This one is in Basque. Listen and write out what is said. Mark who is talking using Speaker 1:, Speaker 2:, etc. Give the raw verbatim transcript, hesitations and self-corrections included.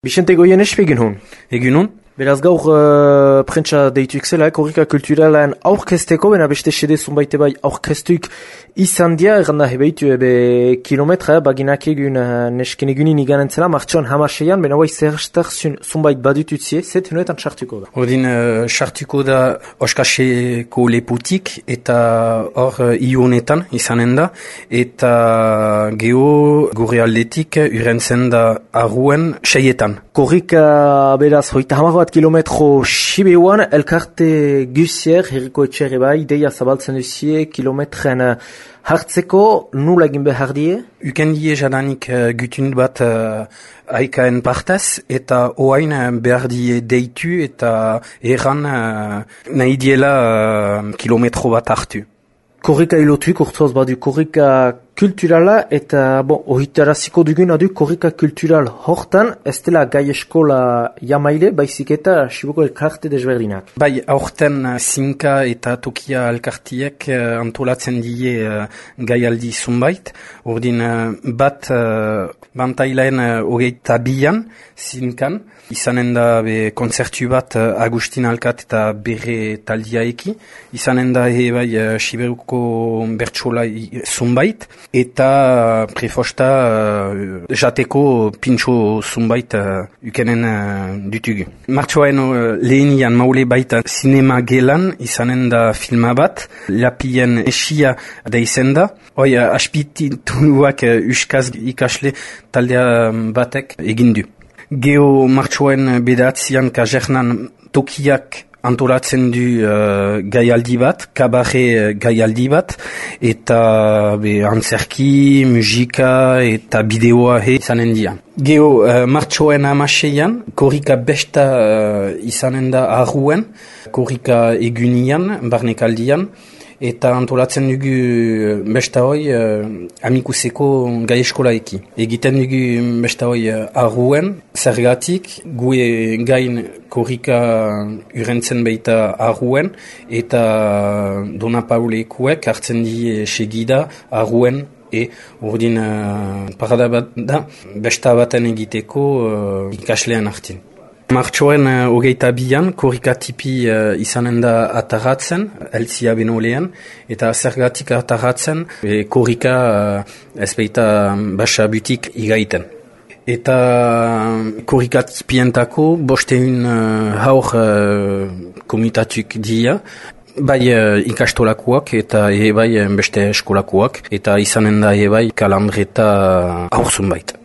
Speaker 1: Bixente Goien espe egin hon?
Speaker 2: Egin hon?
Speaker 1: Beraz gaur uh, prentsa deitu zela, korrika kulturalean aurkezteko, bena beste sede zunbaite bai aurkeztuik izan dia, erranda hebeitu ebe kilometra, baginak egun uh, nesken egunin iganen zela, martxoan hamaseian, bena bai zerreztar zunbait badututzie, zet honetan sartuko da.
Speaker 2: Ordin uh, sartuko da oskaseko leputik, eta hor uh, ionetan izanen da, eta geho gure aldetik urentzen da arruen seietan.
Speaker 1: Korrika beraz hoita hamar bat kilometro Sibeuan, elkarte gusier, herriko etxerre bai, ideia zabaltzen duzie, kilometren uh, hartzeko, nula egin behar die?
Speaker 2: Uken die jadanik uh, gutun bat uh, aikaen partez, eta oain uh, behar die deitu eta erran uh, nahi diela uh, kilometro bat hartu.
Speaker 1: Korrika ilotuik urtuaz badu korrika kulturala eta bon, ohitaraziko duguna du korrika kultural hortan, ez dela gai eskola jamaile, baizik eta Siboko elkarte desberdinak.
Speaker 2: Bai, aurten zinka eta tokia elkartiek uh, antolatzen die uh, gai aldi zunbait, ordin uh, bat uh, bantailaen uh, hogeita bian zinkan, izanen da be konzertu bat uh, Agustin Alkat eta bere taldiaeki, izanen da he bai uh, Siberuko bertsola zunbait, eta uh, prefosta uh, jateko pintxo zunbait uh, ukenen uh, dutugu. Martxoaen uh, lehenian maule baita sinema gelan, izanen da filma bat, lapien esia da izen da, hoi uh, aspititunuak uh, uskaz ikasle taldea batek egindu. Geo martxoen bedatzian kajernan tokiak antolatzen du uh, gaialdi bat, kabare uh, gaialdi bat, eta be, antzerki, musika eta bideoa he izanen dia. Geo uh, martxoen amaseian, korrika besta uh, izanen da arruen, korrika egunian, barnekaldian, eta antolatzen dugu besta hoi uh, amikuseko gai eskolaeki. Egiten dugu besta hoi uh, arruen, zergatik, gue gain korrika urentzen baita arruen, eta Dona Paulekuek hartzen die segida arruen, e ordin uh, parada bat da, besta baten egiteko uh, ikaslean hartin. Martxoen uh, hogeita bian, korrika tipi uh, izanen da ataratzen, eltzia benolean, eta zergatik ataratzen, e, korrika uh, ez baita basa butik igaiten. Eta korrika tipientako bosteun uh, haur uh, komitatuk dia, bai uh, ikastolakoak eta e bai beste eskolakoak, eta izanen da e bai kalandreta haurzun baita.